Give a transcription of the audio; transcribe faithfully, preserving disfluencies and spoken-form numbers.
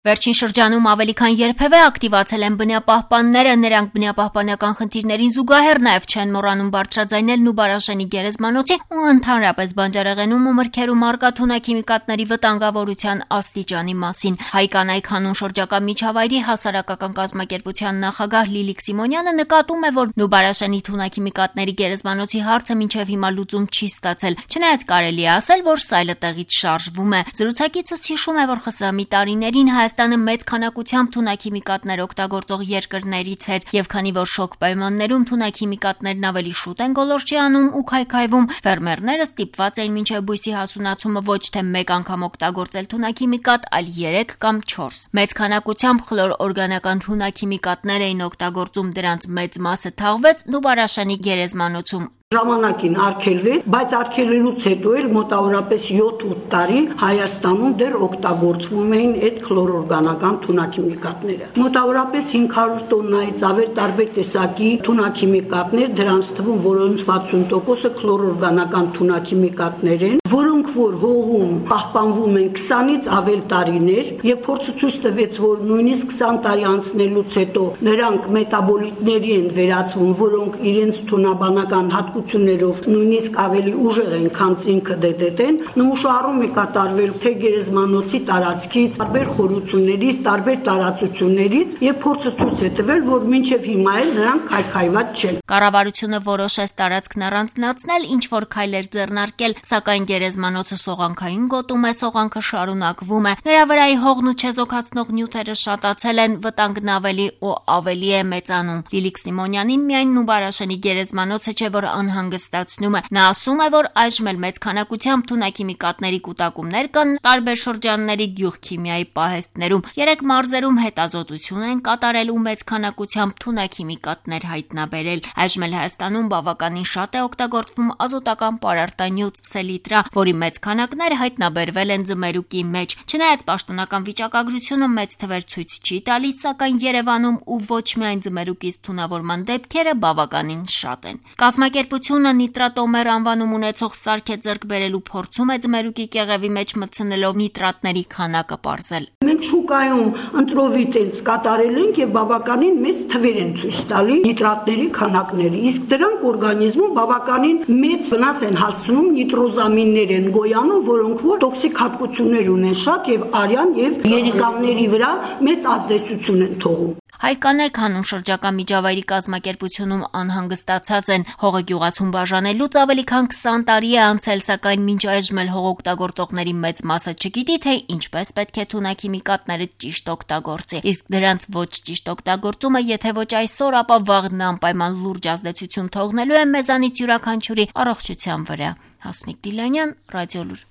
Վերջին շրջանում ավելի քան երբևէ ակտիվացել են բնապահպանները, նրանք բնապահպանական խնդիրներին զուգահեռ նաև չեն մոռանում բարձրաձայնել Նուբարաշենի գերեզմանոցի ու ընդհանրապես բանջարեղենում ու մրգերում առկա թունաքիմիկատների վտանգավորության աստիճանի մասին։ Հայ կանայք հանուն շրջակա միջավայրի հասարակական կազմակերպության նախագահ Լիլիք Սիմոնյանը նկատում է, որ Նուբարաշենի թունաքիմիկատների գերեզմանոցի հարցը մինչև հիմա լուծում չի ստացել, չնայած կարելի է ասել, որ սայլը տեղից շարժվում է։ Զրուցակիցս հիշում է, որ ԽՍՀՄ-ի տարիներին Հայաստանը մեծ քանակությամբ թունաքիմիկատներ օգտագործող երկրներից էր, եւ քանի որ շոկ պայմաններում թունաքիմիկատներն ավելի շուտ են գոլորշի անում ու քայքայվում, ֆերմերները ստիպված էին մինչև բույսի հասունացումը ոչ թե մեկ անգամ օգտագործել թունաքիմիկատ, այլ երեք կամ չորս։ Մեծ քանակությամբ խլոր օրգանական թունաքիմիկատներ էին օգտագործում, դրանց մեծ մասը թաղվեց Նուբարաշենի գերեզմանոցում։ Ժամանակին արգելվեց, բայց արգելելուց հետո էլ մոտավորապես յոթ-ութ տարի Հայաստանում դեռ օգտագործվում էին այդ քլորօրգանական թունաքիմիկատները։ Մոտավորապես հինգ հարյուր տոննայից ավել տարբեր տեսակի թունաքիմիկատներ, դրանց թվում որոնց վաթսուն տոկոսը քլորօրգանական թունաքիմիկատներ են, որոնք որ հողում պահպանվում են քսանից ավել տարիներ, եւ փորձը ցույց տվեց, որ նույնիսկ քսան տարի անցնելուց հետո նրանք մետաբոլիտների են վերածվում, որոնք իրենց թունաբանական հատկություններով նույնիսկ ավելի ուժեղ են, քան ցինկը դե դե դեն, նմուշահարում է կատարվել թե գերեզմանոցի տարածքից, տարբեր խորություններից, տարբեր տարածություններից եւ փորձը ցույց է տվել, որ մինչեւ հիմա էլ նրանք քայքայված չեն։ Կառավարությունը որոշեց տարածքն առանձնացնել, ինչ որ քայլեր ձեռնարկել, սակայն գերեզմանոցը սողանքային գոտում է, սողանքը շարունակվում է, նրա վրայի հողն ու չեզոքացնող նյութերը շատացել են, վտանգն ավելի ու ավելի է մեծանում։ Լիլիք Սիմոնյանին միայն Նուբարաշենի գերեզմանոցը չէ, որ անհանգստացնում է։ Նա ասում է, որ այժմ էլ մեծ քանակությամբ թունաքիմիկատների կուտակումներ կան տարբեր շրջանների գյուղքիմիայի պահեստներում։ Երեք մարզերում հետազոտություն են կատարել ու մեծ քանակությամբ թունաքիմիկատներ հայտնաբերել։ Այժմ էլ Հայաստանում բավականին շատ է օգտագործվում ազոտական պարարտանյութ սելիտրա, որի մեծ քանակներ հայտնաբերվել են ձմերուկի մեջ։ Չնայած պաշտոնական վիճակագրությունը մեծ թվեր ցույց չի տալիս, սակայն Երևանում ու ոչ միայն ձմերուկից թունավորման դեպքերը բավականին շատ են։ Կազմակերպությունը նիտրատոմեր անվանում ունեցող սարք է ձեռք բերելու փորձում է ձմերուկի կեղևի մեջ մտցնելով նիտրատների քանակը պարզել։ Մենք շուկայում ընտրովի տենց կատարել ենք եւ բավականին մեծ թվեր են ցույց տալի նիտրատների քանակները, իսկ դրանք օրգանիզմում բավականին մեծ վնաս են հասցնում, նիտրոզամիններ են գոյանում, որոնք որ տոքսիկ հատկություններ ունեն շատ եւ արյան եւ երիկամների վրա մեծ ազդեցություն են թողում։ Հայ կանայք հանուն շրջակա միջավայրի կազմակերպությունում անհանգստացած են։ Հողը գյուղացում բաժանելուց ավելի քան քսան տարի է անցել, սակայն մինչ այժմ էլ հող օգտագործողների մեծ մասը չգիտի, թե ինչպես պետք է թունաքիմիկատները ճիշտ օգտագործի։ Իսկ դրանց ոչ ճիշտ օգտագործումը, եթե ոչ այսօր, ապա վաղն անպայման լուրջ ազդեցություն թողնելու է մեզանից յուրաքանչյուրի առողջության վրա։ Հասմիկ Դիլանյան, Ռադիոլուր։